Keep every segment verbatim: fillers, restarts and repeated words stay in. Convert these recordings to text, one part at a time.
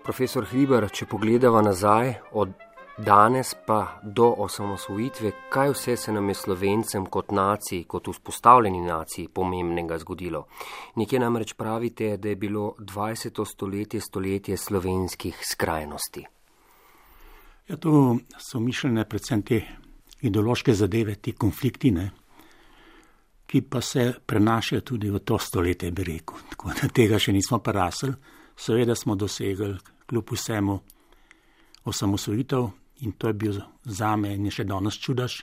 Profesor Hribar, če pogledava nazaj, od danes pa do osamosvojitve, kaj vse se nam je Slovencem kot naciji, kot vzpostavljeni naciji pomembnega zgodilo? Nekje namreč pravite, da je bilo dvajseto stoletje stoletje slovenskih skrajnosti. Ja, to so mišljene predvsem te ideološke zadeve, ti konflikti, ne, ki pa se prenašajo tudi v to stoletje, bi rekel. Tako da tega še nismo prerasli. Seveda smo dosegli kljub vsemu osamosvojitev in to je bil zame in je še danes čudež.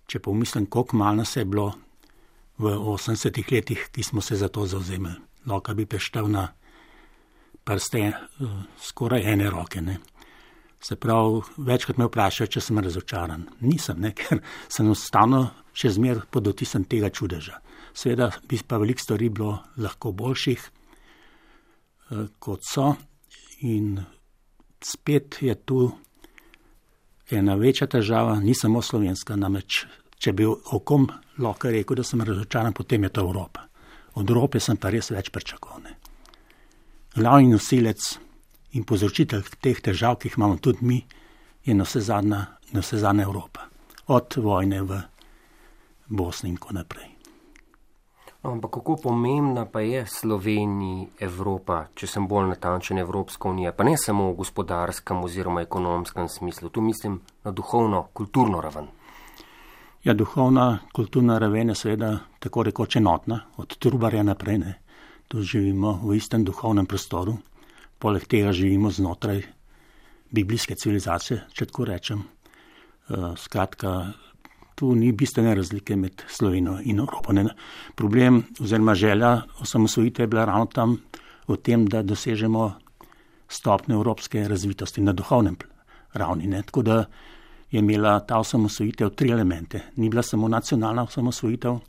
Če pomislim, koliko malo nas je bilo v osemdesetih letih, ki smo se za to zavzemali. Lahko bi preštel na prste uh, skoraj ene roke, ne. Se pravi, večkrat me vprašajo, če sem razočaran. Nisem, ne, ker sem enostavno še zmer pod vtisom tega čudeža. Seveda bi pa veliko stvari bilo lahko boljših, uh, kot so. In spet je tu ena večja težava, ni samo slovenska, namreč, če bi o kom lahko rekel, da sem razočaran, potem je to Evropa. Od Evrope sem pa res več pričakoval. Glavni nosilec in povzročitelj teh težav, ki jih imamo tudi mi, je na vse zadnja, na vse zadnja Evropa. Od vojne v Bosni in tako naprej. Ampak kako pomembna pa je Sloveniji Evropa, če sem bolj natančen, Evropska unija, pa ne samo v gospodarskem oziroma ekonomskem smislu, tu mislim na duhovno, kulturno raven. Ja, duhovna, kulturna raven je seveda tako rekoč enotna, od Trubarja naprej, ne. Tu živimo v istem duhovnem prostoru, poleg tega živimo znotraj biblijske civilizacije, če tako rečem. Uh, skratka, tu ni bistvene razlike med Slovenijo in Evropo. Ne. Problem oziroma želja osamosvojitve je bila ravno tam v tem, da dosežemo stopnjo evropske razvitosti na duhovnem ravni. Ne. Tako da je imela ta osamosvojitev tri elemente. Ni bila samo nacionalna osamosvojitev,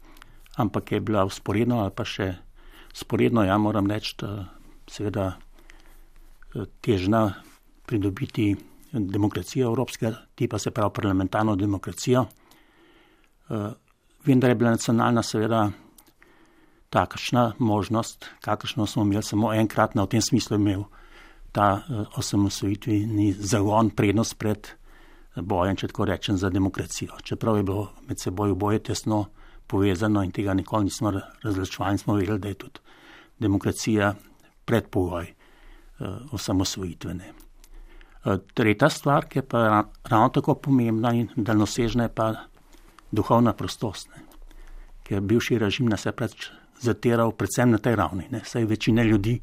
ampak je bila vzporedno ali pa še vzporedno, ja moram reči, seveda težna pridobiti demokracijo evropskega tipa, se pravi parlamentarno demokracijo. Uh, vendar je bila nacionalna seveda takšna možnost, kakršno smo imeli samo enkrat, na v tem smislu imel ta uh, osamosvojitveni zagon prednost pred bojem, če tako rečem, za demokracijo. Čeprav je bilo med seboj oboje tesno povezano in tega nikoli nismo razločevali, smo vedeli, da je tudi demokracija predpogoj uh, osamosvojitvene. Uh, tretja stvar, ki je pa ravno tako pomembna in daljnosežna, je pa duhovna prostost, ne. Ker bivši režim nas je preč zatiral predvsem na tej ravni, ne. Saj večina ljudi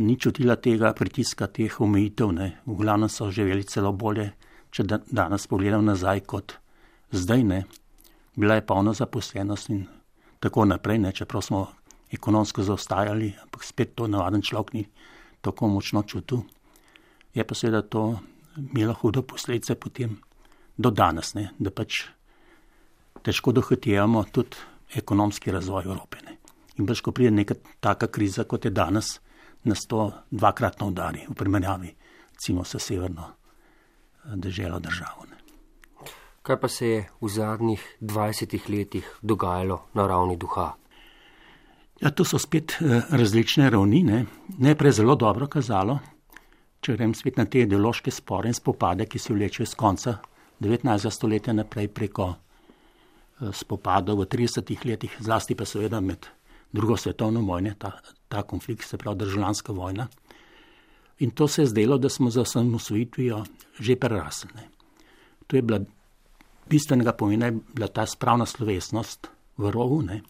ni čutila tega pritiska, teh omejitev, ne. V glavnem so živeli celo bolje, če da, danes pogledam nazaj kot zdaj, ne. Bila je polna zaposlenost in tako naprej, ne. Čeprav smo ekonomsko zaostajali, ampak spet to navaden človek ni tako močno čutil. Je pa seveda to imelo hudo posledice potem do danes, ne. Da pač težko dohitevamo tudi ekonomski razvoj Evrope. Ne. In pač, ko pride neka taka kriza, kot je danes, nas to dvakratno udari v primerjavi, recimo, s severno deželo državo. Ne. Kaj pa se je v zadnjih dvajsetih letih dogajalo na ravni duha? Ja, to so spet različne ravni, ne. Najprej zelo dobro kazalo, če grem spet na te ideološke spore in spopade, ki se vlečejo z konca devetnajstega stoletja naprej preko spopadov v tridesetih letih, zlasti pa seveda med drugo svetovno vojno, ta, ta konflikt, se pravi državljanska vojna. In to se je zdelo, da smo za osamosvojitvijo že prerasli. To je bila bistvenega pomena, je bila ta spravna slovesnost v Rogu. Ne.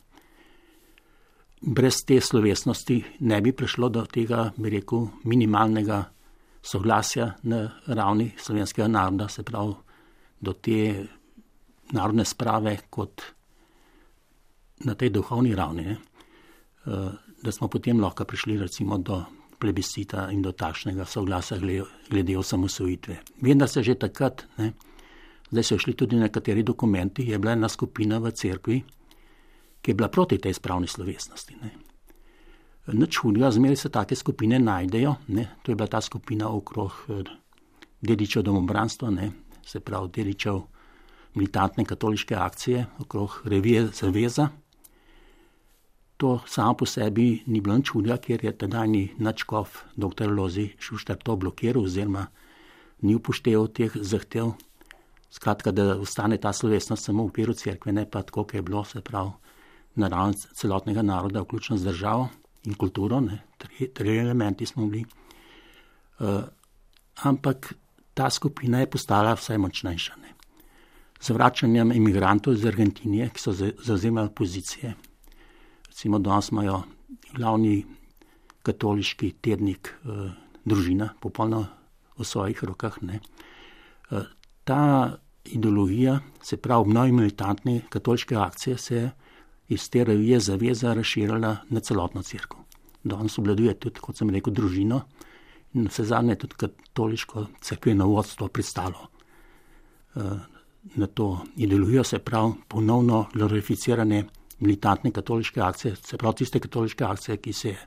Brez te slovesnosti ne bi prišlo do tega, bi rekel, minimalnega soglasja na ravni slovenskega naroda, se pravi do te narodne sprave kot na tej duhovni ravni, ne, da smo potem lahko prišli recimo do plebiscita in do takšnega soglasja glede, glede osamosvojitve. Vem, da se že takrat, ne, zdaj so šli tudi nekateri dokumenti, je bila ena skupina v cerkvi, ki je bila proti tej spravni slovesnosti. Ne. Nič hudega, zmeraj se take skupine najdejo, ne, to je bila ta skupina okrog dedičev domobranstva, ne, se pravi dedičev militantne katoliške akcije okrog revije Zaveza. to samo po sebi ni bilo nič čudja, ker je tedajni nadškof doktor Lozi Šuštar to blokiral oziroma ni upošteval teh zahtev. Skratka, da ostane ta slovesnost samo v okviru cerkve, ne pa tako, kot je bilo, se pravi, na ravni celotnega naroda, vključno z državo in kulturo, ne, tri, tri elementi smo bili. Uh, ampak ta skupina je postala vse močnejša. Ne. Z vračanjem imigrantov iz Argentine, ki so zavzemali pozicije, recimo danes imajo glavni katoliški tednik uh, družina, popolno v svojih rokah, ne. Uh, Ta ideologija, se pravi obnovi militantne katoliške akcije, se iz te revije zaveza razširila na celotno cerkev. Danes obvladuje tudi, kot sem rekel, družino in vse zadnje tudi katoliško cerkveno vodstvo pristalo uh, na to ideologijo, se pravi ponovno glorificirane militantne katoliške akcije, se pravi tiste katoliške akcije, ki se je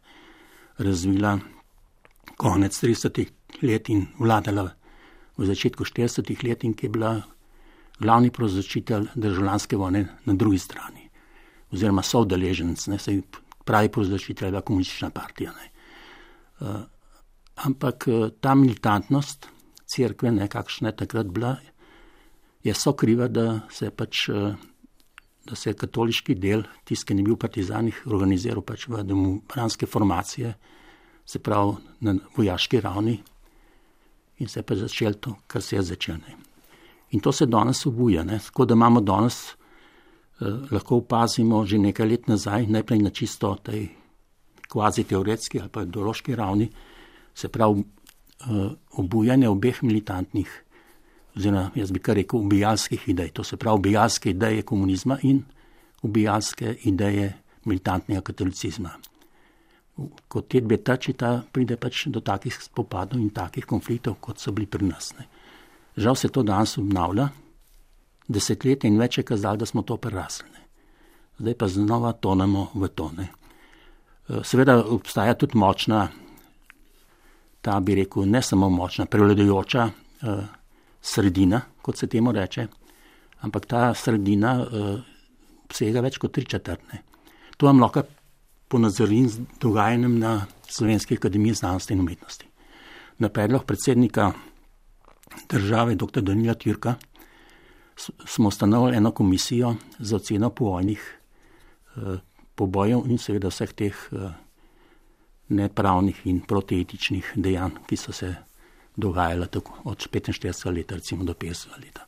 razvila konec tridesetih let in vladala v začetku štiridesetih let in ki je bila glavni povzročitelj državljanske vojne na drugi strani. Oziroma soudeleženec, ne, se pravi povzročitelj je bila komunistična partija. Ne. Uh, ampak uh, ta militantnost cerkve, ne, kakšna je takrat bila, je sokriva, da se pač, uh, da se je katoliški del, tisti, ki ni bil v partizanih, organiziral pač v domobranske formacije, se pravi na vojaški ravni, in se je pa začel to, kar se je začel. Ne. In to se danes obuja. Ne. Tako da imamo danes, eh, lahko opazimo že nekaj let nazaj, najprej na čisto tej kvazi teoretski ali pa ideološki ravni, se pravi eh, obujanje obeh militantnih, oziroma jaz bi kar rekel ubijalskih idej. To se pravi ubijalske ideje komunizma in ubijalske ideje militantnega katolicizma. Ko te dve tačita, pride pač do takih spopadov in takih konfliktov, kot so bili pri nas. Ne. Žal se to danes obnavlja, desetletje in več je kazalo, da smo to prerasli. Ne. Zdaj pa znova tonemo v to. Ne. Seveda obstaja tudi močna, ta bi rekel, ne samo močna, prevladujoča eh, sredina, kot se temu reče, ampak ta sredina eh, obsega več kot tri četrtne. To vam lahko ponazorim z dogajanjem na Slovenski akademiji znanosti in umetnosti. Na predlog predsednika države, doktor Danila Türka, smo ustanovili eno komisijo za oceno povojnih eh, pobojev in seveda vseh teh eh, nepravnih in protietičnih dejanj, ki so se dogajala tako od petinštiridesetega leta recimo do petdesetega leta.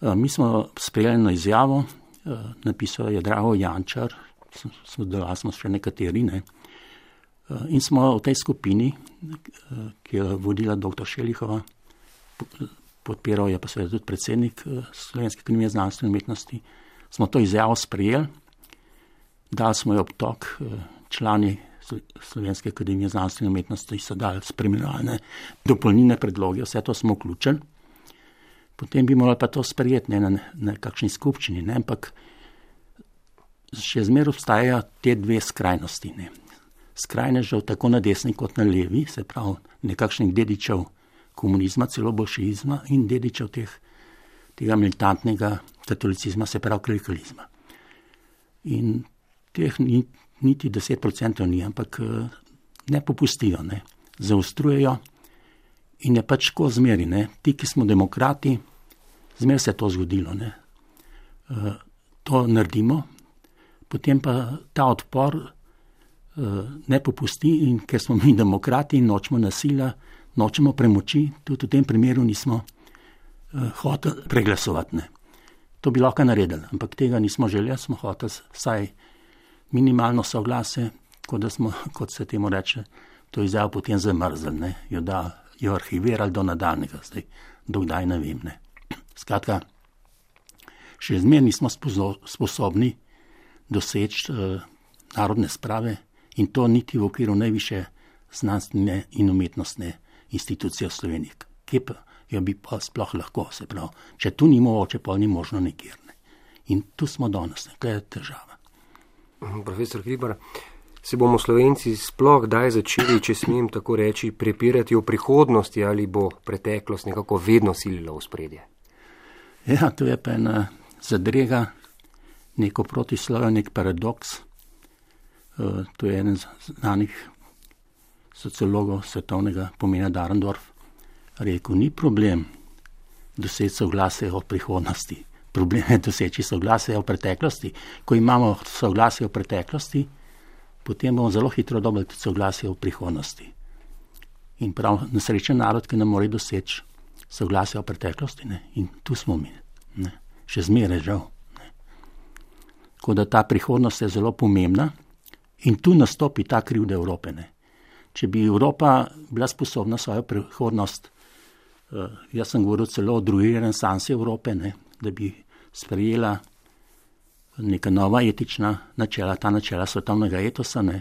E, mi smo sprejeli na izjavo, e, napisal je Drago Jančar, smo delali smo še nekateri, ne, e, in smo v tej skupini, e, ki je vodila doktor Šelihova, podpiral je pa seveda tudi predsednik Slovenske akademije znanosti in umetnosti, smo to izjavo sprejeli, dali smo jo obtok, člani Slovenske akademije znanosti in umetnosti so dali spremljalne dopolnilne predloge, vse to smo vključili. Potem bi morali pa to sprejeti ne, na, na kakšni skupščini, ne, ampak še zmeraj obstajajo te dve skrajnosti. Ne. Skrajnežev tako na desni kot na levi, se pravi nekakšnih dedičev komunizma, celo bolševizma in dedičev teh, tega militantnega katolicizma, se pravi klerikalizma. In teh ni, niti deset procentov ni, ampak ne popustijo, ne, zaostrujejo in je pač tako zmeri, ne, ti, ki smo demokrati, zmer se je to zgodilo, ne, e, to naredimo, potem pa ta odpor e, ne popusti in ker smo mi demokrati in nočemo nasilja, nočemo premoči, tudi v tem primeru nismo e, hoteli preglasovati, ne. To bi lahko naredili, ampak tega nismo želeli, smo hoteli vsaj minimalno soglase, kot, da smo, kot se temu reče, to izjavo potem zamrzli, ne, jo, da, jo arhivirali do nadaljnega, zdaj, dokdaj ne vem, ne. Skratka, še zmeraj nismo sposobni doseči eh, narodne sprave in to niti v okviru najvišje znanstvene in umetnostne institucije v Sloveniji. Kje pa jo bi pa sploh lahko, se pravi, če tu ni mogoče, pa ni možno nikjer, ne. In tu smo danes, ne, kaj je težava. Profesor Hribar, se bomo Slovenci sploh kdaj začeli, če smem tako reči, prepirati o prihodnosti ali bo preteklost nekako vedno silila v spredje? Ja, to je pa ena zadrega, neko protislovje, nek paradoks. to je eden znanih sociologov svetovnega pomena Dahrendorf, rekel, ni problem doseči soglasje o prihodnosti. Problem je doseči soglasje o preteklosti. Ko imamo soglasje o preteklosti, potem bomo zelo hitro dobili tudi soglasje o prihodnosti. In prav nesrečen narod, ki ne more doseči soglasje o preteklosti. Ne? In tu smo mi. Ne? Še zmeraj žal. Ne? Tako da ta prihodnost je zelo pomembna in tu nastopi ta krivda Evrope. Ne? Če bi Evropa bila sposobna svojo prihodnost, uh, jaz sem govoril celo o drugi renesansi Evrope, ne? Da bi sprejela neka nova etična načela, ta načela svetovnega etosa, ne?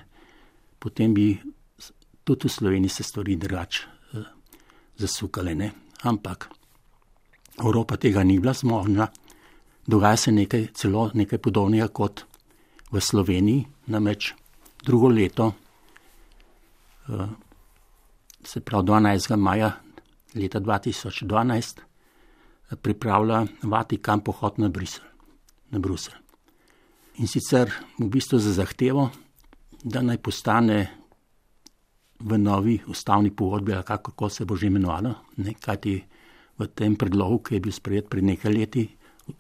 Potem bi tudi v Sloveniji se stvari drugače uh, zasukale. Ne? Ampak Evropa tega ni bila zmožna. Dogaja se nekaj, celo nekaj podobnega kot v Sloveniji, namreč drugo leto, uh, se pravi dvanajstega maja leta dva tisoč dvanajst, pripravlja Vatikan pohod na Bruselj, na Bruselj. In sicer v bistvu za zahtevo, da naj postane v novi ustavni pogodbi, ali kako se bo že imenovalo, ne, kajti v tem predlogu, ki je bil sprejet pred nekaj leti,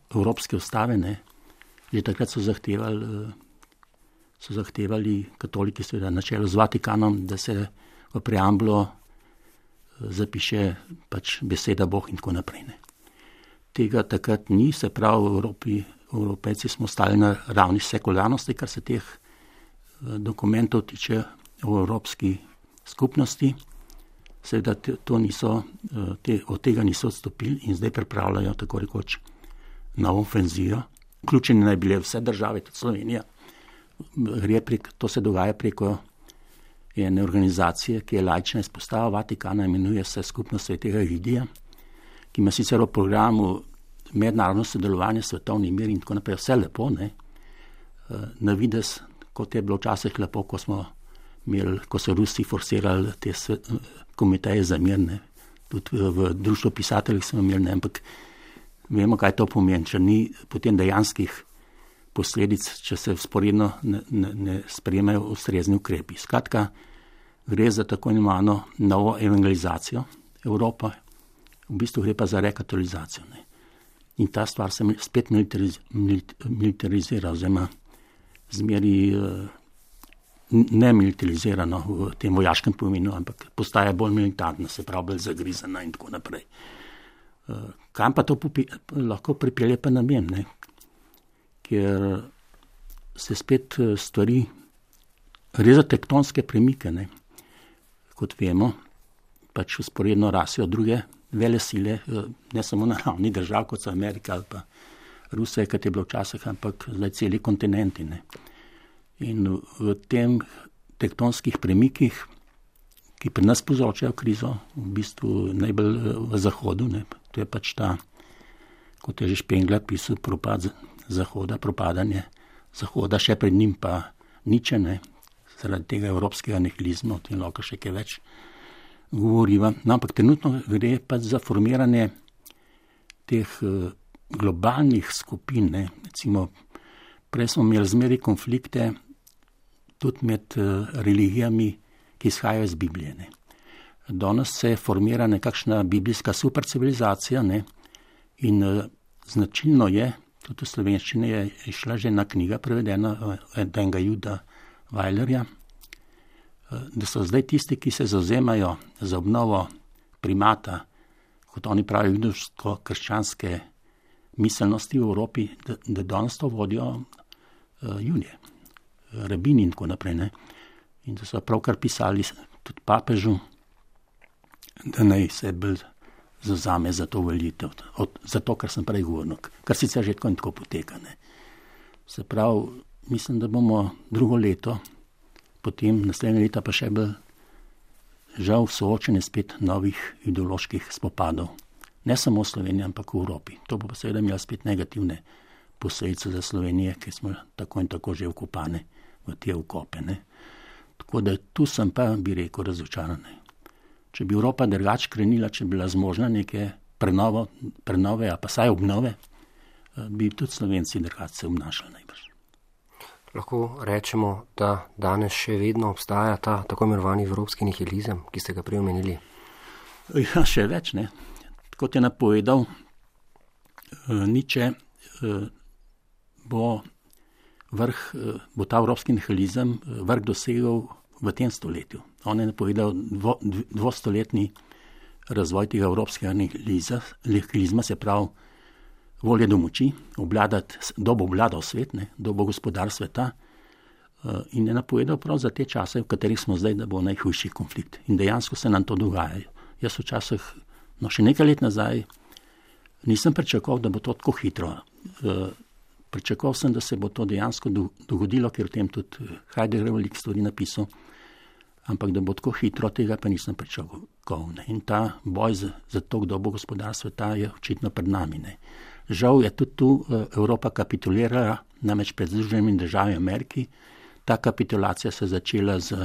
Evropske ustave, ne, že takrat so zahtevali, so zahtevali katoliki, seveda na čelu z Vatikanom, da se v preambulo zapiše pač beseda Bog in tako naprej. Ne. Tega takrat ni, se pravi, v Evropi, Evropejci smo stali na ravni sekularnosti, kar se teh dokumentov tiče v Evropski skupnosti. Seveda to niso, te, od tega niso odstopili in zdaj pripravljajo tako rekoč novo ofenzijo. Vključene naj bile vse države, tudi Slovenija. Gre prek, to se dogaja preko ene organizacije, ki je laična izpostava Vatikana, imenuje se Skupnost svetega Egidija, ki ima sicer v programu mednarodno sodelovanje, svetovni mir in tako naprej, vse lepo, ne. Na vides, kot je bilo včasih lepo, ko smo imeli, ko so Rusi forsirali te svet, komiteje za mir, ne. Tudi v društvu pisateljih smo imeli, ne, ampak vemo, kaj to pomeni, če ni potem dejanskih posledic, če se vzporedno ne, ne, ne sprejemajo ustrezni ukrepi. Skratka, gre za tako imenovano novo evangelizacijo Evropa, v bistvu gre pa za rekatolizacijo. Ne. In ta stvar se spet militariz, militarizira, oziroma zmeri ne militarizirano v tem vojaškem pomenu, ampak postaja bolj militarna, se pravi bolj zagrizana in tako naprej. Kam pa to popi, lahko pripelje pa namen, ne? Ker se spet stvari, gre za tektonske premike, ne? Kot vemo, pač usporedno rasejo druge vele sile, ne samo na ravni držav, kot so Amerika ali pa Rusija, kot je bilo včasih, ampak zdaj celi kontinenti. Ne? In v tem tektonskih premikih, ki pri nas povzročajo krizo, v bistvu najbolj v Zahodu, ne? To je pač ta, kot je že Spengler pisal, propad Zahoda, propadanje Zahoda, še pred njim pa Nietzsche, ne? Zaradi tega evropskega nihilizma, o tem lahko še kaj več govoriva. No, ampak trenutno gre pa za formiranje teh uh, globalnih skupin, ne. Recimo, prej smo imeli zmeri konflikte tudi med uh, religijami, ki izhajajo iz Biblije, ne. Danes se formira nekakšna biblijska supercivilizacija, ne. In uh, značilno je, tudi v slovenščini je išla že ena knjiga prevedena enega Juda Weilerja, da so zdaj tisti, ki se zauzemajo za obnovo primata, kot oni pravijo, judovsko-krščanske miselnosti v Evropi, da, da danes to vodijo uh, Judje, rabini in tako naprej. Ne? In da so pravkar pisali tudi papežu, da naj se bolj zauzame za to volitev, za to, kar sem prej govoril, kar sicer že tako in tako poteka. Ne? Se pravi, mislim, da bomo drugo leto, potem naslednje leta pa še bolj žal soočene spet novih ideoloških spopadov. Ne samo v Sloveniji, ampak v Evropi. To bo pa seveda imelo spet negativne posledice za Slovenije, ki smo tako in tako že vkopane v te vkope. Ne. Tako da tu sem pa, bi rekel, razočaran. Če bi Evropa drugače krenila, če bi bila zmožna neke prenovo, prenove, a pa saj obnove, bi tudi Slovenci drugače se obnašali najbrž. Lahko rečemo, da danes še vedno obstaja ta tako imenovani evropski nihilizem, ki ste ga prej omenili? Ja, še več, ne. Kot je napovedal Nietzsche, bo vrh, bo ta evropski nihilizem vrh dosegel v tem stoletju. On je napovedal dvo, dvostoletni razvoj tega evropskega nihilizma, se pravi volje do moči, obladati, kdo bo obladal svet, ne, kdo bo gospodar sveta, in je napovedal prav za te čase, v katerih smo zdaj, da bo najhujši konflikt. In dejansko se nam to dogaja. Jaz včasih, no še nekaj let nazaj, nisem pričakoval, da bo to tako hitro. Pričakoval sem, da se bo to dejansko dogodilo, ker v tem tudi Heidegger veliko stvari napisal, ampak da bo tako hitro, tega pa nisem pričakoval. Ne. In ta boj za, za to, kdo bo gospodar sveta, je očitno pred nami. Ne. Žal je tudi tu Evropa kapitulirala, namreč pred Združenimi državami Ameriki. Ta kapitulacija se je začela z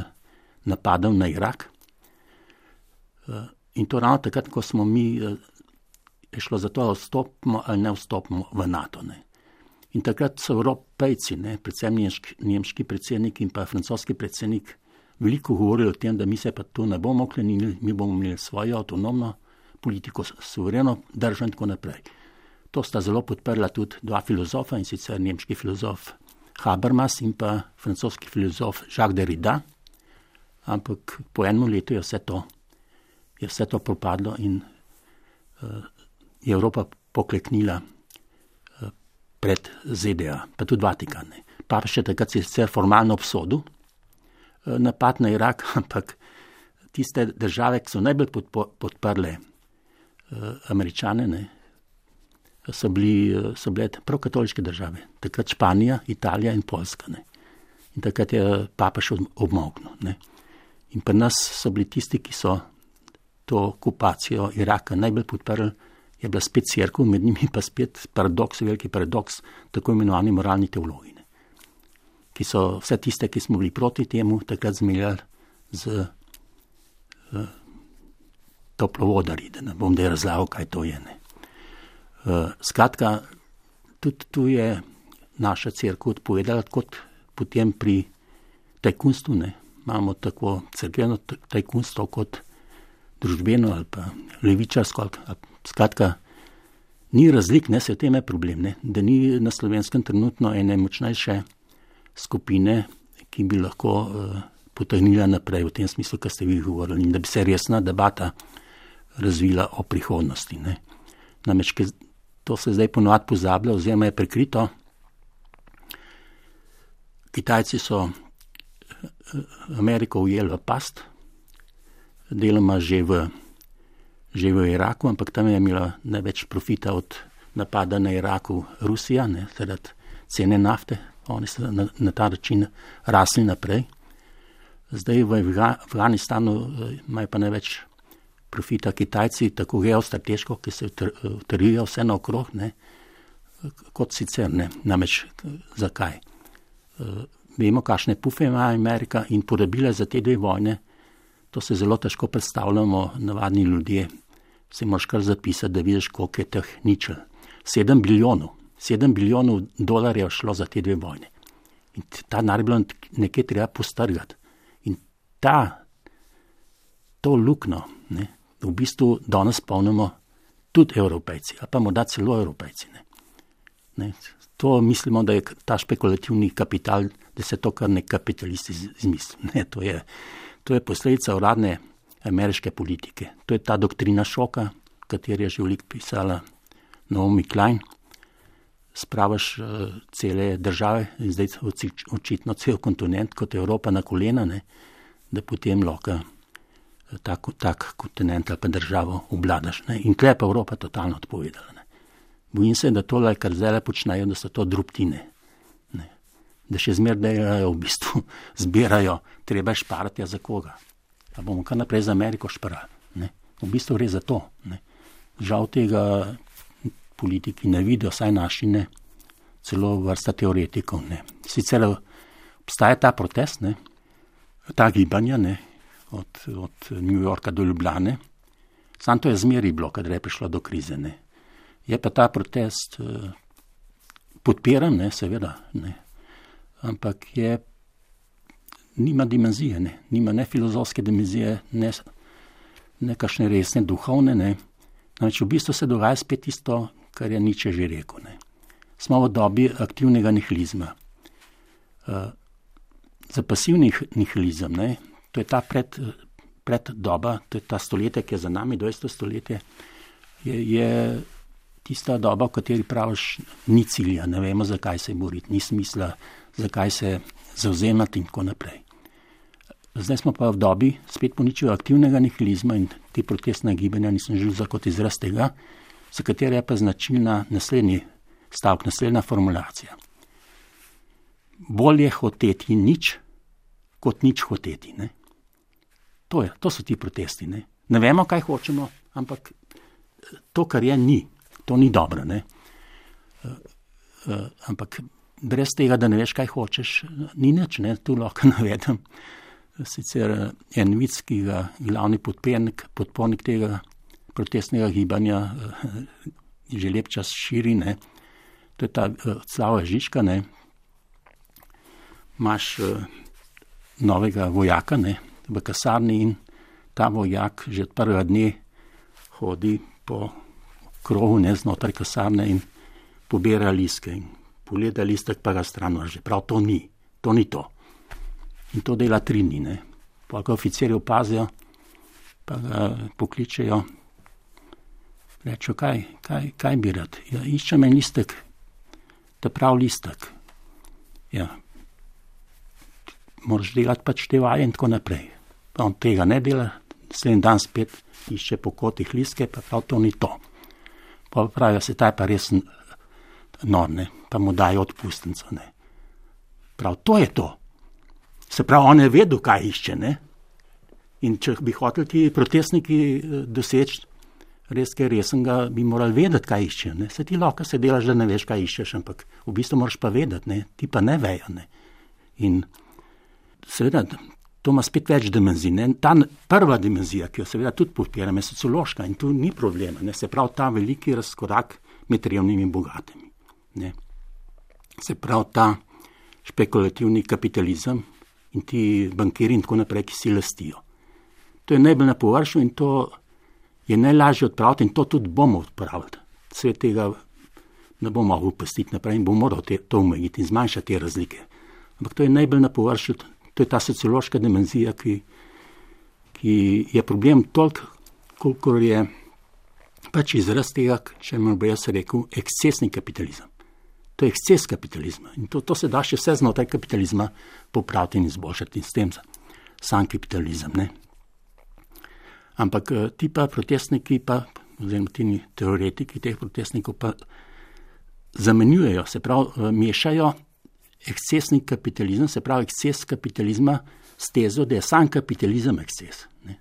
napadom na Irak. In to ravno takrat, ko smo mi, je šlo za to, da vstopimo ali ne vstopimo v NATO. Ne. In takrat so Evropejci, ne, predvsem nemški, nemški predsednik in pa francoski predsednik, veliko govorili o tem, da mi se pa tu ne bomo oklenili, mi bomo imeli svojo avtonomno politiko, suvereno državo in tako naprej. To sta zelo podprla tudi dva filozofa, in sicer nemški filozof Habermas in pa francoski filozof Jacques Derrida, ampak po enem letu je vse to, je vse to propadlo in uh, je Evropa pokleknila uh, pred Z D A, pa tudi Vatikan. Papež je takrat sicer formalno obsodil uh, napad na Irak, ampak tiste države, ki so najbolj podpo, podprle uh, Američane, ne, so, bili, so bile prav katoliške države. Takrat Španija, Italija in Poljska. Ne. In takrat je papež obmolknil. Ne. In pri nas so bili tisti, ki so to okupacijo Iraka najbolj podprli, je bila spet cerkev, med njimi pa spet paradoks, veliki paradoks, tako imenovani moralni teologi. Ne. Ki so vse tiste, ki smo bili proti temu, takrat zmeljali z uh, toplovodarji, da ne bom da razlagal, kaj to je. Ne. Uh, skratka, tudi tu je naša cerkev odpovedala, kot potem pri tajkunstvu, ne, imamo tako cerkveno tajkunstvo kot družbeno ali pa levičarsko. Skratka, ni razlik, ne, se v tem je problem, ne, da ni na Slovenskem trenutno ene močnejše skupine, ki bi lahko uh, potegnila naprej v tem smislu, kar ste vi govorili, in da bi se resna debata razvila o prihodnosti. Ne. Namreč, to se zdaj ponovadi pozablja, oziroma je prekrito. Kitajci so Ameriko ujeli v past, deloma že v, že v Iraku, ampak tam je imela največ profita od napada na Iraku Rusija, ne, zaradi cene nafte. Oni so na, na ta način rasli naprej. Zdaj v Afganistanu imajo pa največ profita Kitajci, tako geostrateško, ki se utrjujejo vse naokrog, ne, kot sicer ne. Namreč zakaj? Uh, vemo, kakšne pufe ima Amerika in porabila za te dve vojne, to se zelo težko predstavljamo, navadni ljudje. Se moraš kar zapisati, da vidiš, koliko je teh ničel. Sedem bilijonov, sedem bilijonov dolarjev šlo za te dve vojne. In ta denar je bilo nekje treba postrgati. In ta, to lukno, ne, v bistvu danes polnimo tudi Evropejci, ali pa morda celo Evropejci. Ne. Ne, to mislimo, da je ta špekulativni kapital, da se to kar nek kapitalist izmisli. Ne, to je, to je posledica uradne ameriške politike. To je ta doktrina šoka, kateri je že veliko pisala Naomi Klein. Spravaš uh, cele države in zdaj očitno cel kontinent kot Evropa na kolena, ne, da potem lahko Tak, tak kontinent ali pa državo obladaš. Ne. In tukaj je pa Evropa totalno odpovedala. Ne. Bojim se, da tole, kar zdaj počnejo, da so to drobtine. Ne. Da še zmer delajo v bistvu, zbirajo, treba šparati za koga. Pa bomo kar naprej za Ameriko šparali. Ne. V bistvu gre za to. Ne. Žal tega politiki ne vidijo, saj naši ne, celo vrsta teoretikov. Ne. Sicer obstaja ta protest, ne, ta gibanja, ne, Od, od New Yorka do Ljubljane. Sam to je zmeri bilo, kadar je prišlo do krize. Ne. Je pa ta protest eh, podpiran, ne, seveda, ne. ampak je, nima dimenzije, ne, nima ne filozofske dimenzije, ne, ne kakšne resne duhovne, ne. Namreč v bistvu se dogaja spet isto, kar je Nietzsche že rekel, ne. Smo v dobi aktivnega nihilizma. Uh, za pasivni nihilizem, ne, to je ta pred, pred doba, to je ta stoletje, ki je za nami, dvajseto stoletje, je, je tista doba, v kateri praviš, ni cilja, ne vemo, zakaj se boriti, ni smisla, zakaj se zauzemati in tako naprej. Zdaj smo pa v dobi spet poničijo aktivnega nihilizma in te protestne gibanja nisem želel za kot izraz tega, za katera je pa značilna naslednji stavek, naslednja formulacija. Bolje hoteti nič, kot nič hoteti. Ne? To, je, to so ti protesti. Ne? ne vemo, kaj hočemo, ampak to, kar je, ni. To ni dobro. Ne? Uh, uh, ampak brez tega, da ne veš, kaj hočeš, ni nič. Ne? Tu lahko navedem. Sicer en vic, ki ga glavni podpornik, podpornik tega protestnega gibanja uh, že lep čas širi. Ne? To je ta uh, Slava Žižka, ne? Imaš uh, novega vojaka, ne, v kasarni in ta vojak že od prvega dne hodi po krogu, ne, znotraj kasarne in pobira listke in pogleda listek, pa ga stran vrže. Prav to ni, to ni to. In to dela tri dni, ne. Pa ga oficirji opazijo, pa ga pokličejo, rečejo, kaj, kaj, kaj bi rad? Ja, iščem en listek, ta prav listek. Ja, moraš delati pač te vaje in tako naprej. On tega ne dela, sleden dan spet išče po kotih listke, pa prav to ni to. Pa pravijo se, ta je pa res nor, ne, pa mu dajo odpustnico, ne. Prav to je to. Se pravi, on je vedel, kaj išče, ne. In če bi hoteli ti protestniki doseči res kaj resnega, bi morali vedeti, kaj išče, ne. Se ti lahko se delaš, da ne veš, kaj iščeš, ampak v bistvu moraš pa vedeti, ne, ti pa ne vejo, ne. In seveda, to ima spet več dimenzij. Ne? Ta prva dimenzija, ki jo seveda tudi podpiram, je sociološka in tu ni problema. Ne? Se pravi, ta veliki razkorak med revnimi in bogatimi. Ne? Se pravi, ta špekulativni kapitalizem in ti bankiri in tako naprej, ki si lastijo. To je najbolj na površju in to je najlažje odpraviti in to tudi bomo odpravili. Svet tega ne bo mogel pustiti naprej in bo moral te, to omejiti in zmanjšati te razlike. Ampak to je najbolj na površju. To je ta sociološka dimenzija, ki, ki je problem toliko, koliko je pač izraz tega, če me bo jaz rekel, ekscesni kapitalizem. To je eksces kapitalizma in to, to se da še vse znotraj kapitalizma popraviti in izboljšati in s tem sam kapitalizem. Ne? Ampak ti pa protestniki, pa, oziroma ti teoretiki teh protestnikov pa zamenjujejo, se pravi, mešajo ekscesni kapitalizem, se pravi eksces kapitalizma s tezo, da je sam kapitalizem eksces. Ne.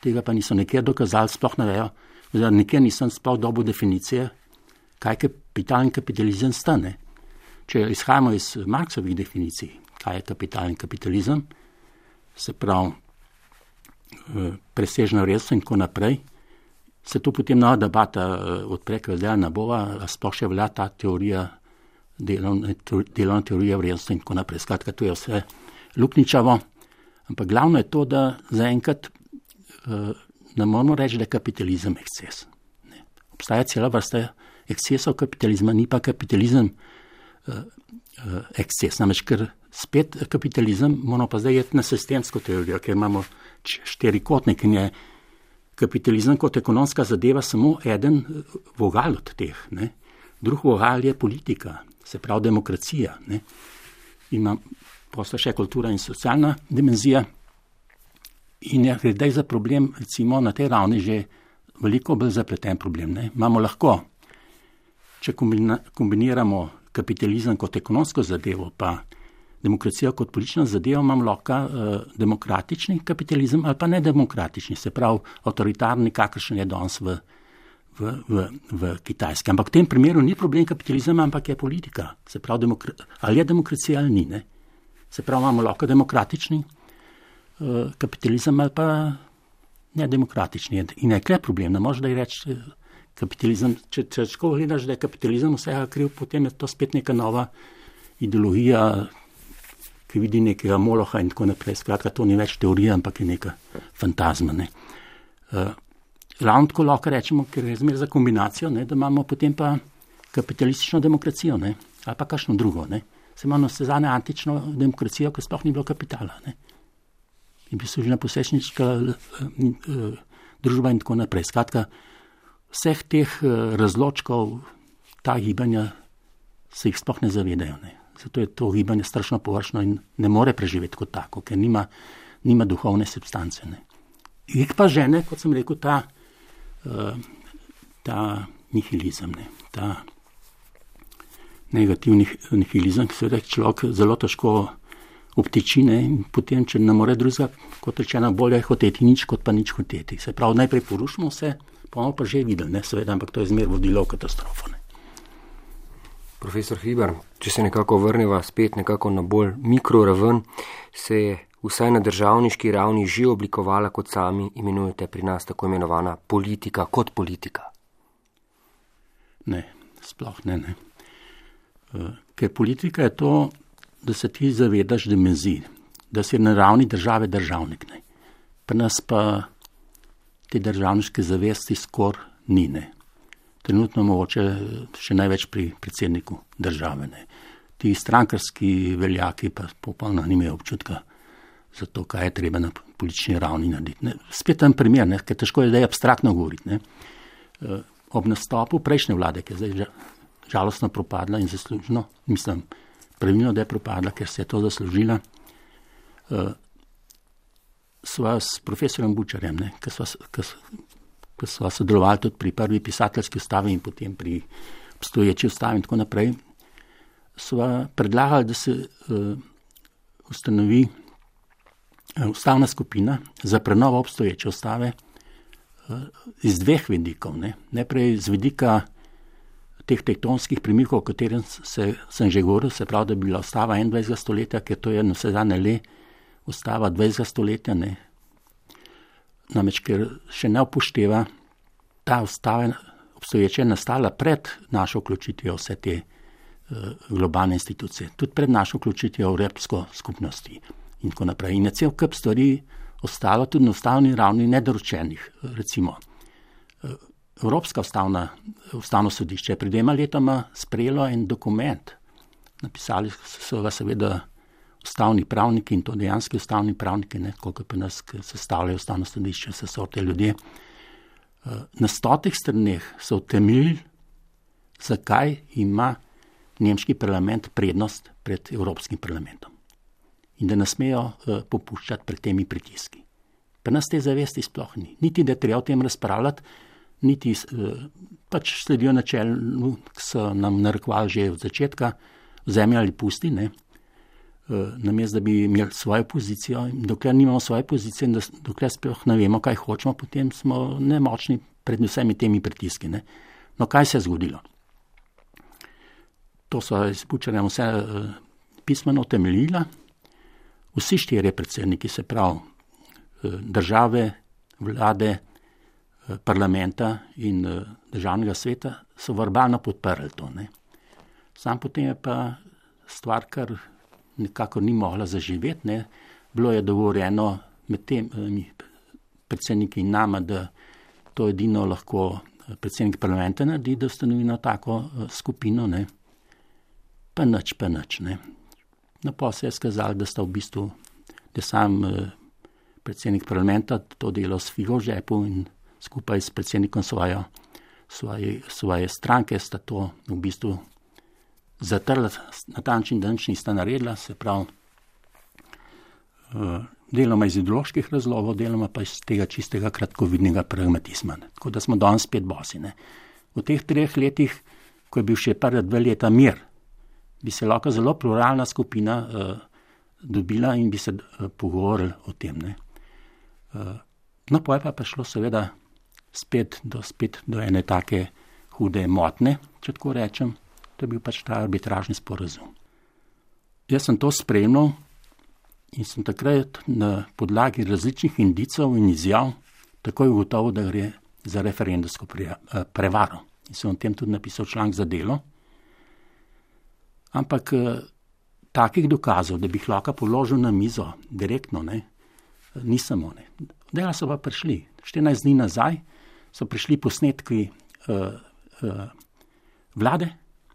Tega pa niso nekje dokazali, sploh ne vejo, oziroma nekje nisem sploh dobil definicije, kaj kapital in kapitalizem sta. Ne. Če izhajamo iz Marksovih definicij, kaj je kapital in kapitalizem, se pravi presežna vrednost in tako naprej, se tu potem nova debata odpre, kaj zdaj ne bova, sploh še velja ta teorija delovna, delovna teorija vrednosti in tako naprej. Skratka, to je vse lukničavo, ampak glavno je to, da zaenkrat uh, ne moramo reči, da je kapitalizem eksces. Ne. Obstaja cela vrsta ekscesov kapitalizma, ni pa kapitalizem uh, uh, eksces. Namreč, ker spet kapitalizem, moramo pa zdaj jeti na sistemsko teorijo, ker imamo štirikotnik in je kapitalizem kot ekonomska zadeva samo eden vogal od teh. Ne. Drug vogal je politika, se pravi demokracija. Ne. Ima posla še kultura in socialna dimenzija in je gre za problem, recimo na tej ravni že veliko bolj zapleten problem. Ne. Imamo lahko, če kombina, kombiniramo kapitalizem kot ekonomsko zadevo, pa demokracijo kot politično zadevo, imamo lahko uh, demokratični kapitalizem ali pa nedemokratični, se pravi avtoritarni, kakršen je danes v V, v, v Kitajski. Ampak v tem primeru ni problem kapitalizma, ampak je politika. Se pravi, demokra- ali je demokracija ali ni. Ne? Se pravi, imamo lahko demokratični uh, kapitalizem ali pa nedemokratični. In je kle problem, ne možeš da je reči kapitalizem. Če, če tako gledaš, da je kapitalizem vsega kriv, potem je to spet neka nova ideologija ki vidi nekega moloha in tako naprej. Skratka, to ni več teorija, ampak je neka fantazma. Ne. Uh, ravno tako lahko rečemo, ker je zmer za kombinacijo, ne, da imamo potem pa kapitalistično demokracijo, ne, ali pa kakšno drugo. Ne. Se imamo vse zadnje antično demokracijo, ker sploh ni bilo kapitala. Ne. In bi služila posečniška uh, uh, družba in tako naprej. Skratka, vseh teh uh, razločkov, ta gibanja se jih sploh ne zavedajo. Ne. Zato je to gibanje strašno površno in ne more preživeti kot tako, ker nima, nima duhovne substance. Ne. Jih pa žene, kot sem rekel, ta, uh, ta nihilizem, ne. Ta negativni nihilizem, ki se reče človek zelo težko obtiči, ne, in potem, če ne more drugega, kot rečeno, bolje hoteti nič, kot pa nič hoteti. Se pravi, najprej porušimo vse, pa bomo pa že videli, ne, seveda, ampak to je zmer vodilo v katastrofo. Ne. Profesor Hribar, če se nekako vrneva spet nekako na bolj mikroraven, se je vsaj na državniški ravni že oblikovala, kot sami imenujete pri nas, tako imenovana politika kot politika? Ne, sploh ne, ne. Ker politika je to, da se ti zavedaš dimenzij, da si na ravni države državnik. Ne. Pri nas pa te državniške zavesti skoraj ni. Ne. Trenutno mogoče še največ pri predsedniku države. Ne. Ti strankarski veljaki pa popolnoma nimajo občutka za to, kaj je treba na politični ravni narediti. Ne. Spet en primer, ne, ker težko je, da je abstraktno govoriti. Ne. Ob nastopu prejšnje vlade, ki je zdaj žalostno propadla in zaslužno, mislim, pravilno, da je propadla, ker se je to zaslužila, sva s profesorjem Bučarjem, ne, ki sva sodelovali tudi pri prvi pisateljski ustavi in potem pri obstoječi ustavi in tako naprej, sva predlagali, da se uh, ustanovi uh, ustavna skupina za prenovo obstoječe ustave uh, iz dveh vidikov. Ne. Najprej z vidika teh tektonskih premikov, o katerem se, sem že govoril, se pravi, da bi bila ustava enaindvajsetega stoletja, ker to je na vse zadnje le ustava dvajsetega stoletja, ne. Namreč, ker še ne upošteva, ta ustava obstoječa je nastala pred našo vključitvijo vse te uh, globalne institucije, tudi pred našo vključitvijo v Evropsko skupnosti in tako naprej. In je cel kup stvari ostalo tudi na ustavni ravni nedoročenih. Recimo, uh, Evropska ustavna, ustavno sodišče je pred dvema letoma sprejelo en dokument. Napisali so ga seveda ustavni pravniki in to dejanski ustavni pravniki, ne, koliko pa nas sestavljajo ustavno sodišče, se so te ljudje. Na stotih straneh so utemeljili, zakaj ima nemški parlament prednost pred Evropskim parlamentom. In da ne smejo popuščati pred temi pritiski. Pa nas te zavesti sploh ni. Niti, da treba o tem razpravljati, niti pač sledijo načelu, ki so nam narekovali že od začetka, vzemi ali pusti, ne. Namesto, da bi imeli svojo pozicijo, in dokler nimamo svoje pozicije in dokler sploh ne vemo, kaj hočemo, potem smo nemočni pred vsemi temi pritiski. Ne. No, kaj se je zgodilo? To so s Bučarjem vse uh, pismeno utemeljila. Vsi štirje predsedniki, se pravi uh, države, vlade, uh, parlamenta in uh, državnega sveta, so verbalno podprli to. Ne. Sam potem je pa stvar, kar nekako ni mogla zaživeti. Ne. Bilo je dogovorjeno med temi predsedniki in nama, da to edino lahko predsednik parlamenta naredi, da ustanovi na tako skupino. Ne. Pa nič, pa nič. Ne. No, pa se je skazalo, da sta v bistvu, da sam predsednik parlamenta to delal s figo v žepu in skupaj s predsednikom svojo, svoje, svoje stranke sta to v bistvu zatrla na ta način, da nič nista naredila, se pravi, deloma iz ideoloških razlogov, deloma pa iz tega čistega kratkovidnega pragmatizma. Ne. Tako da smo danes spet bosi. Ne. V teh treh letih, ko je bil še prva dva leta mir, bi se lahko zelo pluralna skupina uh, dobila in bi se uh, pogovorili o tem. Ne. Uh, no, pa je pa prišlo seveda spet do, spet do ene take hude motne, če tako rečem. To je bil pač ta arbitražni sporazum. Jaz sem to spremljal in sem takrat na podlagi različnih indicov in izjav takoj ugotovil, da gre za referendumsko prevaro. In sem o tem tudi napisal članek za Delo. Ampak takih dokazov, da bi jih lahko položil na mizo direktno, ne, nisem. Ne. Dela so pa prišli. štirinajst dni nazaj so prišli posnetki uh, uh, vlade,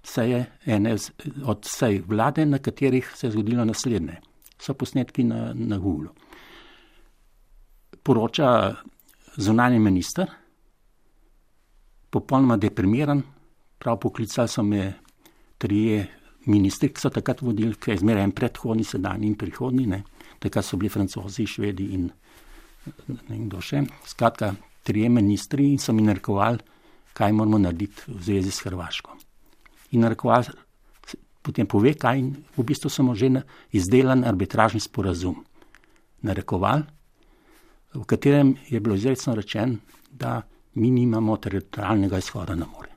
seje, ene od sej vlade, na katerih se je zgodilo naslednje. So posnetki na, na Google. Poroča zunanji minister, popolnoma deprimiran, prav poklicali so me trije ministri, ki so takrat vodili, ki je zmeraj en predhodni, sedanji in prihodni, ne. Takrat so bili Francozi, Švedi in ne kdo še. Skratka, trije ministri in so mi narekovali, kaj moramo narediti v zvezi s Hrvaško. In narekovali, potem pove, kaj in v bistvu smo že izdelan arbitražni sporazum narekovali, v katerem je bilo izrecno rečeno, da mi nimamo teritorialnega izhoda na morje.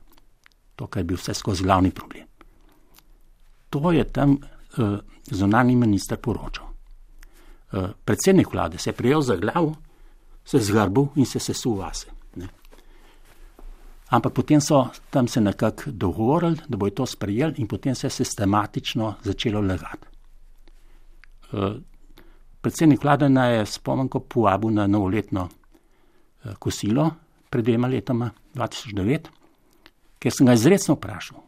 To, kar je bil vse skozi glavni problem. To je tam uh, zunanji minister poročal. Uh, predsednik vlade se je prijel za glav, se zgrbil in se sesul vase. Ne. Ampak potem so tam se nekako dogovorili, da bojo to sprejeli in potem se je sistematično začelo lagati. Uh, predsednik vlade naj je spomenko povabil na novoletno uh, kosilo pred dvema letoma, dva tisoč devet, ker sem ga izrecno vprašal,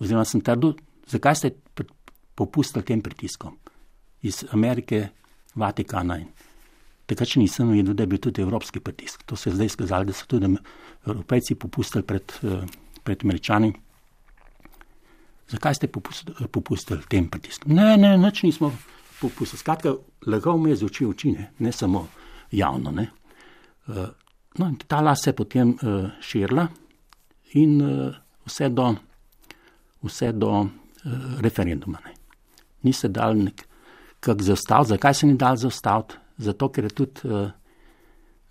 oziroma sem trdil, zakaj ste popustili tem pritiskom iz Amerike, Vatikana in takrat še nisem vedel, da je bil tudi evropski pritisk. To se je zdaj skazalo, da so tudi Evropejci popustili pred, pred Američani. Zakaj ste popustili, popustili tem pritiskom? Ne, ne, nič nismo popustili. Skratka, lagal me je z oči v oči, ne, ne samo javno. Ne. No, in ta las se je potem uh, širila in uh, vse do, vse do uh, referenduma. Ne. Ni se dal nekako zaustaviti. Zakaj se ni dal zaustaviti? Zato, ker je tudi uh,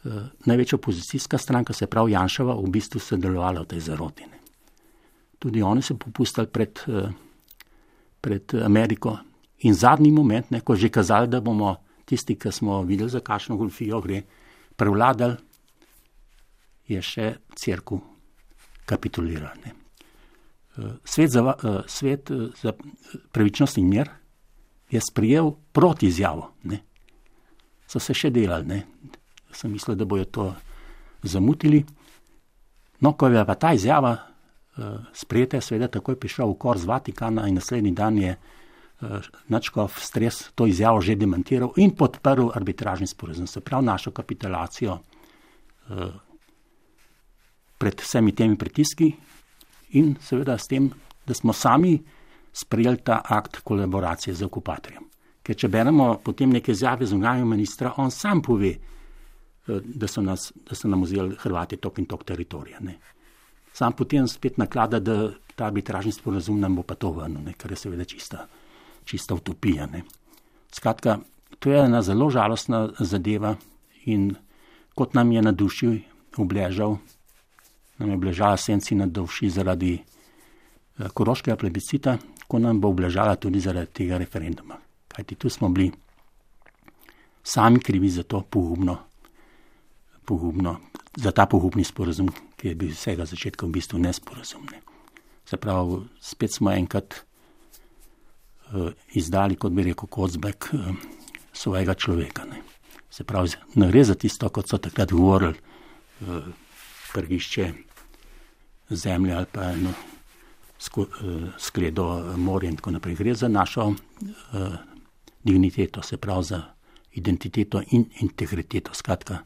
uh, največja opozicijska stranka, se pravi Janševa, v bistvu sodelovala v tej zaroti. Ne. Tudi oni so popustili pred, uh, pred Ameriko. In zadnji moment, ne, ko že kazali, da bomo tisti, ki smo videli, za kakšno golfijo gre, prevladali, je še cerkev kapitulirala. Ne. Svet za, svet za pravičnost in mir je sprejel proti izjavo. Ne. So se še delali. Ne. Sem mislil, da bojo to zamutili. No, ko je pa ta izjava sprejeta, je seveda takoj prišel v kor z Vatikana in naslednji dan je nadškof Stres to izjavo že demantiral in podprl arbitražni sporazum. Se pravi našo kapitulacijo pred vsemi temi pritiski in seveda s tem, da smo sami sprejeli ta akt kolaboracije z okupatorjem. Ker če beremo potem neke izjave zunanjega ministra, on sam pove, da so, nas, da so nam vzeli Hrvati tok in tok teritorija. Ne. Sam potem spet naklada, da ta arbitražni sporazum nam bo pa to vrnil, ne, kar je seveda čista, čista utopija. Ne. Skratka, to je ena zelo žalostna zadeva in kot nam je na duši obležal, nam je obležala senci na duši zaradi eh, koroškega plebiscita, ko nam bo obležala tudi zaradi tega referenduma. Kajti tu smo bili sami krivi za to pogubno, pogubno, za ta pogubni sporazum, ki je bil vsega začetka v bistvu nesporazum. Ne. Se pravi, spet smo enkrat uh, izdali, kot bi rekel Kocbek, uh, svojega človeka. Ne. Se pravi, ne gre za tisto, kot so takrat govorili, uh, prgišče zemlje ali pa eno sko, uh, skledo morja in tako naprej. Gre za našo uh, digniteto, se pravi za identiteto in integriteto. Skratka,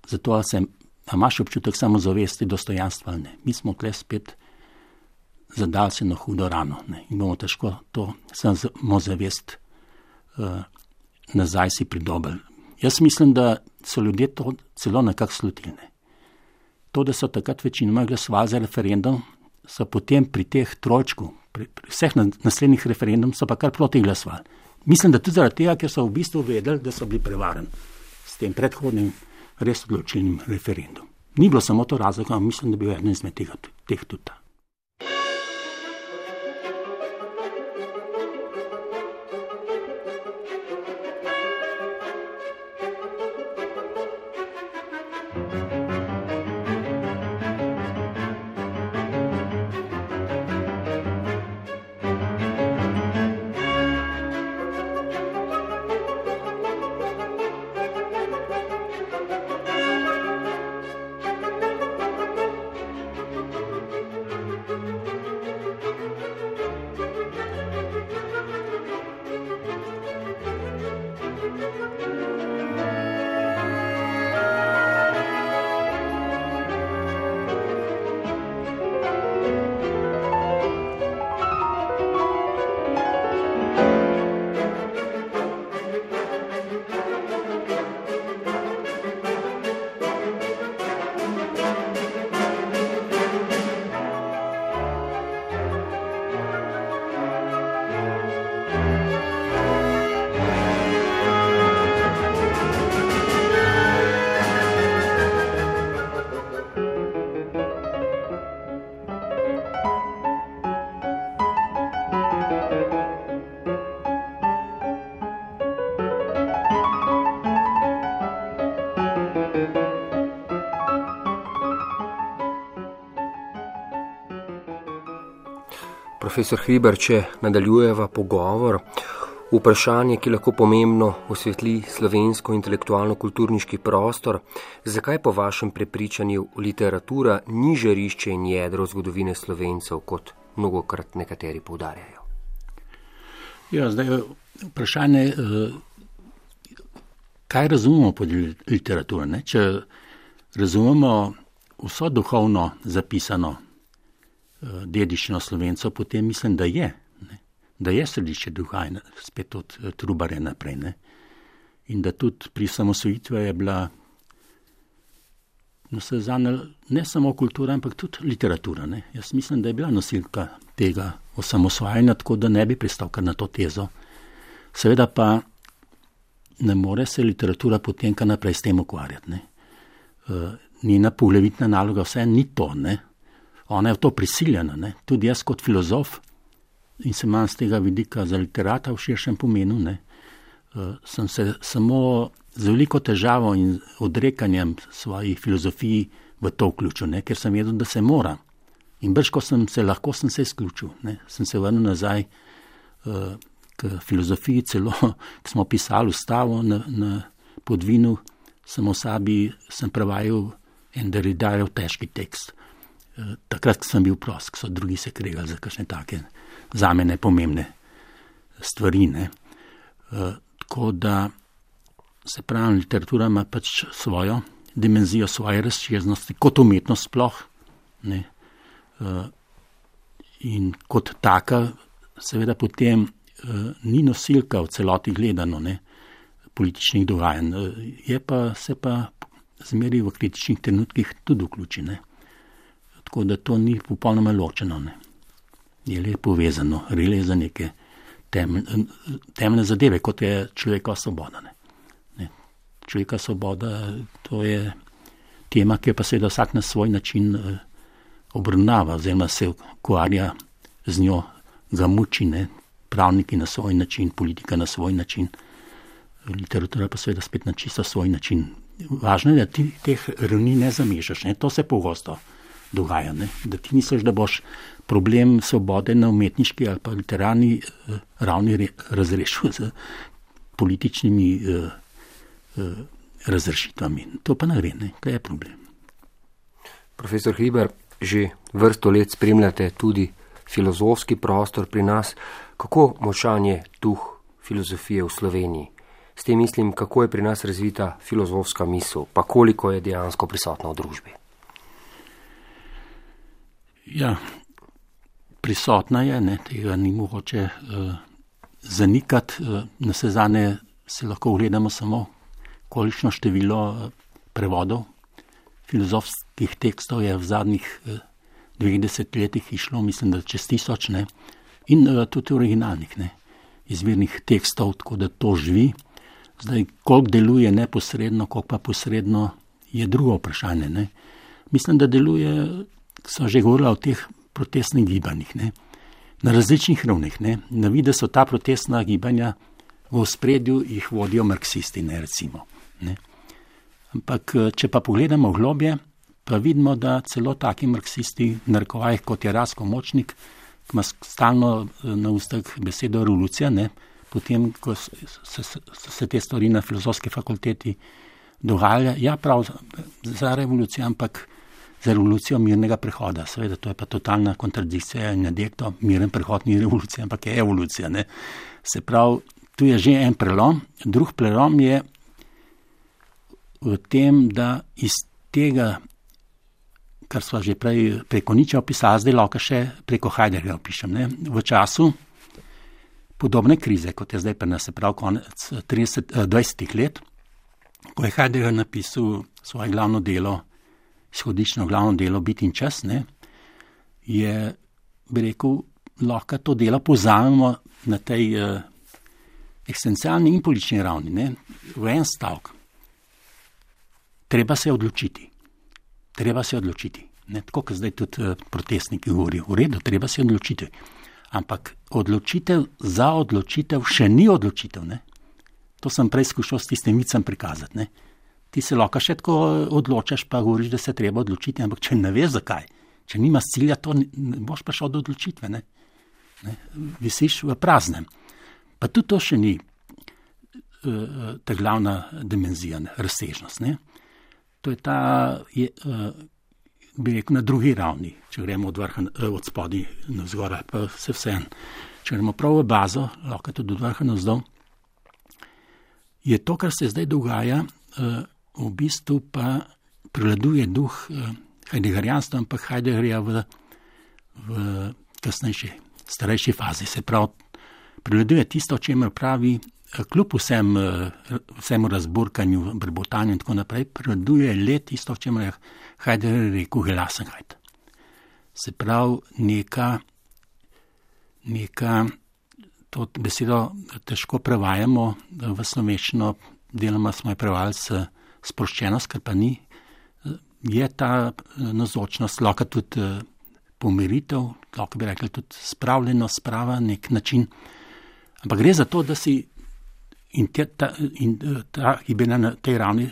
zato se, a imaš občutek samozavesti, dostojanstva ali ne. Mi smo tle spet zadali se na hudo rano, ne. In bomo težko to samozavest uh, nazaj si pridobili. Jaz mislim, da so ljudje to celo nekako slutili. Ne. To, da so takrat večinoma glasovali za referendum, so potem pri teh trojčku, pri, pri vseh naslednjih referendum, so pa kar proti glasovali. Mislim, da tudi zaradi tega, ker so v bistvu vedeli, da so bili prevarani s tem predhodnim res odločilnim referendum. Ni bilo samo to razlog, ampak mislim, da bi bil eden izmed tega, teh tudi ta. Profesor Hribar, če nadaljujeva pogovor, vprašanje, ki lahko pomembno osvetli slovensko intelektualno-kulturniški prostor, zakaj po vašem prepričanju literatura ni žarišče in jedro zgodovine Slovencev, kot mnogokrat nekateri poudarjajo? Ja, zdaj vprašanje, kaj razumemo pod literaturo, ne? Če razumemo vso duhovno zapisano dediščino Slovencev, potem mislim, da je, ne? Da je središče duha in spet od Trubarja naprej. Ne? In da tudi pri samosvojitvi je bila no, ne samo kultura, ampak tudi literatura. Ne? Jaz mislim, da je bila nosilka tega osamosvajanja, tako da ne bi pristal kar na to tezo. Seveda pa ne more se literatura potem kar naprej s tem ukvarjati. Ne? Uh, njena poglavitna naloga vse ni to, ne? Ona je v to prisiljena, ne? Tudi jaz kot filozof in se imam z tega vidika za literata v širšem pomenu, ne? Uh, sem se samo z veliko težavo in odrekanjem svojih filozofij v to vključil, ne? Ker sem vedel, da se mora. In brž, ko sem se lahko, sem se izključil. Ne? Sem se vrnil nazaj uh, k filozofiji, celo, ko smo pisali ustavo na, na Podvinu, samo sabi sem prevajal en Derridajev težki tekst. Takrat sem bil prost, ko so drugi se kregali za kakšne take zame nepomembne stvari. Ne. E, tako da se pravi, literatura ima pač svojo dimenzijo, svoje razširnosti, kot umetnost sploh. Ne. E, in kot taka seveda potem e, ni nosilka v celoti gledano, ne, političnih dogajanj. E, je pa, se pa zmeri v kritičnih trenutkih tudi vključi, ne. Tako da to ni popolnoma ločeno. Ne. Je le povezano, rile za neke temeljne, temeljne zadeve, kot je človekova svoboda. Ne. Ne. Človekova svoboda, to je tema, ki je pa seveda vsak na svoj način eh, obravnava, oziroma se ukvarja z njo, ga muči, ne. Pravniki na svoj način, politika na svoj način, literatura pa seveda spet na čisto svoj način. Važno je, da ti teh ravni ne zamešaš, ne. To se pogosto dogaja, ne? Da ti misliš, da boš problem svobode na umetniški ali pa literarni eh, ravni re, razrešil z političnimi eh, eh, razrešitvami. To pa ne gre, ne? Kaj je problem? Profesor Hribar, že vrsto let spremljate tudi filozofski prostor pri nas. Kako močan je duh filozofije v Sloveniji? S tem mislim, kako je pri nas razvita filozofska misel, pa koliko je dejansko prisotna v družbi? Ja, prisotna je, ne, tega ni mogoče uh, zanikati. Uh, na sezane se lahko ogledamo samo, kolikšno število uh, prevodov filozofskih tekstov je v zadnjih uh, dveh desetletjih išlo, mislim, da čez tisoč, ne, in uh, tudi originalnih, ne, izvirnih tekstov, tako da to živi. Zdaj, koliko deluje neposredno, koliko pa posredno, je drugo vprašanje, ne. Mislim, da deluje, so že govorila o teh protestnih gibanjih, ne, na različnih ravneh, ne. Na vidi so ta protestna gibanja v ospredju, jih vodijo marksisti, ne, recimo, ne. Ampak, če pa pogledamo globje, pa vidimo, da celo taki marksisti, narekovajih, kot je Rasko Močnik, ki ima stalno na ustah besedo revolucija, ne, potem, ko se, se, se te stvari na filozofski fakulteti dogaja, ja, prav za revolucijo, ampak za revolucijo mirnega prehoda. Seveda, to je pa totalna kontradikcija in nadjekto, miren prehod ni revolucija, ampak je evolucija. Ne? Se pravi, tu je že en prelom. Drug prelom je v tem, da iz tega, kar sva že prej preko Nietzsche opisala, zdaj lahko še preko Heideggerja opišem. Ne? V času podobne krize, kot je zdaj pri nas, se pravi konec trideset, dvajsetih let, ko je Heidegger napisal svoje glavno delo, izhodično glavno delo Bit in čas, ne, je, bi rekel, lahko to delo povzamemo na tej uh, eksistencialni in politični ravni, ne, v en stavek. Treba se odločiti. Treba se odločiti. Ne, tako, kot zdaj tudi uh, protestniki govorijo. V redu, treba se odločiti. Ampak odločitev za odločitev še ni odločitev, ne. To sem prej skušal s tistim vicem prikazati, ne. Ti se lahko še tako odločaš, pa govoriš, da se treba odločiti, ampak če ne veš zakaj, če nimaš cilja, to ne boš prišel do odločitve. Ne? Ne? Visiš v praznem. Pa tudi to še ni uh, ta glavna dimenzija, ne? Razsežnost. Ne? To je ta, je, uh, bi rekel, na drugi ravni, če gremo od, vrha, od spodi na vzgora, pa se vse en. Če gremo prav v bazo, lahko tudi od vrha na vzdolj, je to, kar se zdaj dogaja, uh, v bistvu pa prevladuje duh uh, Heideggerjanstva, ampak Heideggerja v, v kasnejši, starejši fazi. Se pravi, prevladuje tisto, o čemer pravi, kljub vsem, vsemu razburkanju, brbotanju in tako naprej, prevladuje le tisto, o čemer je Heidegger rekel Gelassenheit. Se pravi, neka, neka, to besedo težko prevajamo v slovenščino, deloma smo jo prevajali s sproščenost, ker pa ni, je ta navzočnost, lahko tudi pomiritev, lahko bi rekli tudi spravljenost, sprava, nek način. Ampak gre za to, da si in, te, ta, in ta gibanja na tej ravni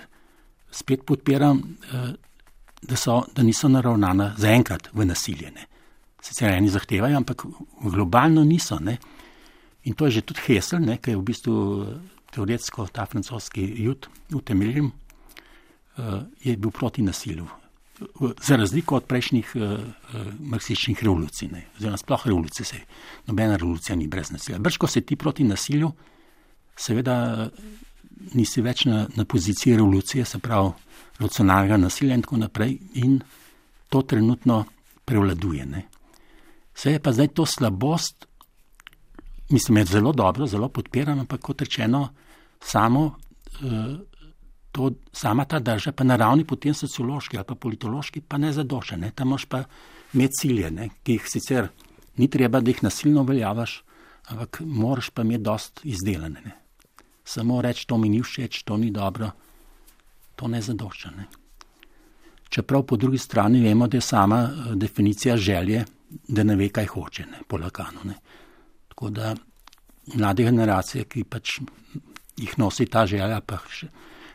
spet podpiram, da, so, da niso naravnana zaenkrat v nasilje. Ne. Sicer eni zahtevajo, ampak globalno niso. Ne. In to je že tudi Hessel, ne, ki je v bistvu teoretsko ta francoski jud utemeljen, je bil proti nasilju. Za razliko od prejšnjih uh, uh, marksističnih revolucij, ne, oziroma sploh revolucije, se, nobena revolucija ni brez nasilja. Brž, ko se ti proti nasilju, seveda nisi več na, na poziciji revolucije, se pravi revolucionarnega nasilja in tako naprej, in to trenutno prevladuje. Ne. Se je pa zdaj to slabost, mislim, je zelo dobro, zelo podpiram, ampak kot rečeno, samo uh, To, sama ta drža pa na ravni potem sociološki ali pa politološki pa ne zadoša. Ne? Tam moš pa imeti cilje, ne? Ki jih sicer ni treba, da jih nasilno uveljavaš, ampak moraš pa imeti dost izdelane. Ne? Samo reči, to mi ni všeč, to ni dobro, to ne zadošča. Ne? Čeprav po drugi strani vemo, da je sama definicija želje, da ne ve, kaj hoče, ne? Po Lacanu. Ne? Tako da mlade generacije, ki pač jih nosi ta želja, pa še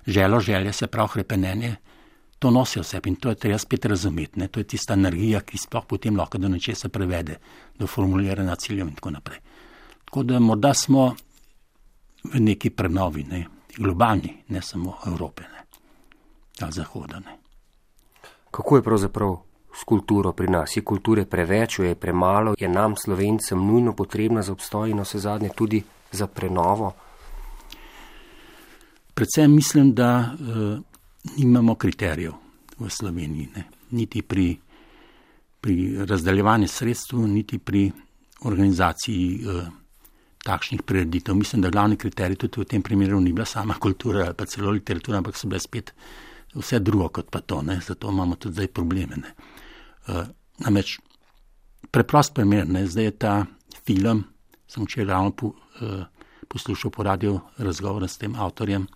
želo, želje, se pravi hrepenenje, to nosijo v sebi in to je treba spet razumeti. Ne? To je tista energija, ki sploh potem lahko do nečesa prevede, do formuliranja ciljev in tako naprej. Tako da morda smo v neki prenovi, ne? Globalni, ne samo Evrope, ne? Ali Zahoda. Ne? Kako je pravzaprav s kulturo pri nas? Je kulture preveč, je premalo, je nam Slovencem nujno potrebna za obstoj in vse zadnje tudi za prenovo? Predvsem mislim, da uh, nimamo kriterijev v Sloveniji, ne? Niti pri, pri razdeljevanju sredstv, niti pri organizaciji uh, takšnih prireditev. Mislim, da glavni kriterij tudi v tem primeru ni bila sama kultura ali pa celo literatura, ampak so bile spet vse drugo kot pa to. Ne? Zato imamo tudi zdaj probleme. Ne? Uh, namreč preprost primer, ne? Zdaj je ta film, sem včeraj ravno po, uh, poslušal po radiju razgovor s tem avtorjem,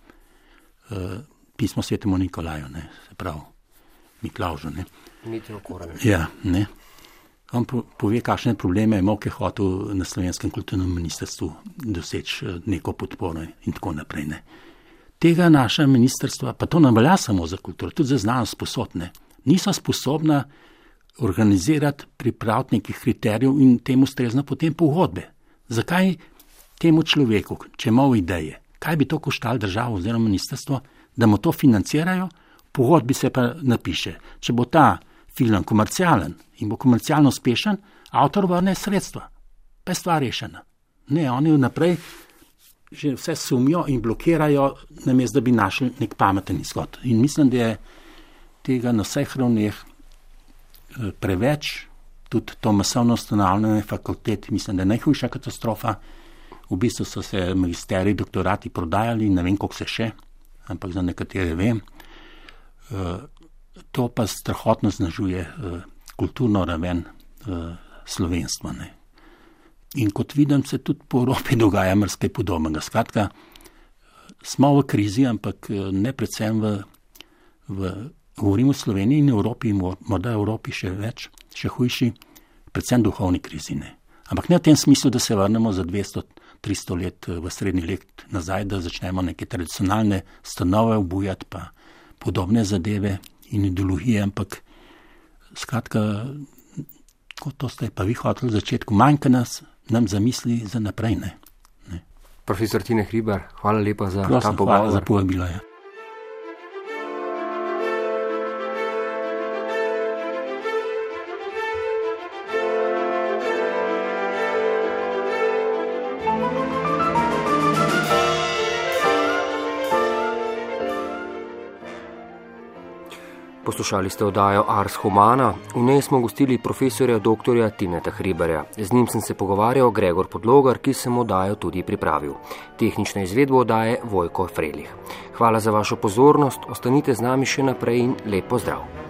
Uh, pismo svetemu Nikolaju, ne, se pravi Miklavžu. Ne. Ja, ne. On po, pove, kakšne probleme je imel, ki je hotel na Slovenskem kulturnem ministrstvu doseči neko podporo in tako naprej. Ne. Tega naša ministrstva, pa to ne velja samo za kulturo, tudi za znanost sposobne, niso sposobna organizirati, pripraviti nekih kriterijev in temu ustrezno potem pogodbe. Zakaj temu človeku, če ima ideje, kaj bi to koštalo državo oziroma ministrstvo, da mu to financirajo, pogodbi se pa napiše. Če bo ta film komercialen in bo komercialno uspešen, avtor vrne sredstva. Pa je stvar rešena. Ne, oni naprej že vse sumijo in blokirajo, namesto da bi našli nek pameten izhod. In mislim, da je tega na vseh ravneh preveč, tudi to masovno ustanavljanje fakultet, mislim, da je najhujša katastrofa. V bistvu so se magisteriji, doktorati prodajali, ne vem, koliko se še, ampak za nekatere vem. To pa strahotno znažuje kulturno raven slovenstva. Ne. In kot vidim, se tudi po Evropi dogaja marsikaj podobnega. Skratka, smo v krizi, ampak ne predvsem v, v govorimo v Sloveniji in Evropi, morda Evropi še več, še hujši, predvsem duhovni krizi. Ne. Ampak ne v tem smislu, da se vrnemo za dvesto tristo let v srednji let nazaj, da začnemo neke tradicionalne stanove obujati, pa podobne zadeve in ideologije, ampak skratka, kot to ste pa vi hoteli v začetku, manjka nas nam zamisli za naprej. Ne? Ne. Profesor Tine Hribar, hvala lepa za Prosim, ta pogovor. Hvala za povabilo. Ja. Poslušali ste oddajo Ars Humana, v njej smo gostili profesorja doktorja Tineta Hribarja. Z njim sem se pogovarjal Gregor Podlogar, ki sem oddajo tudi pripravil. Tehnična izvedba oddaje Vojko Frelih. Hvala za vašo pozornost, ostanite z nami še naprej in lep pozdrav.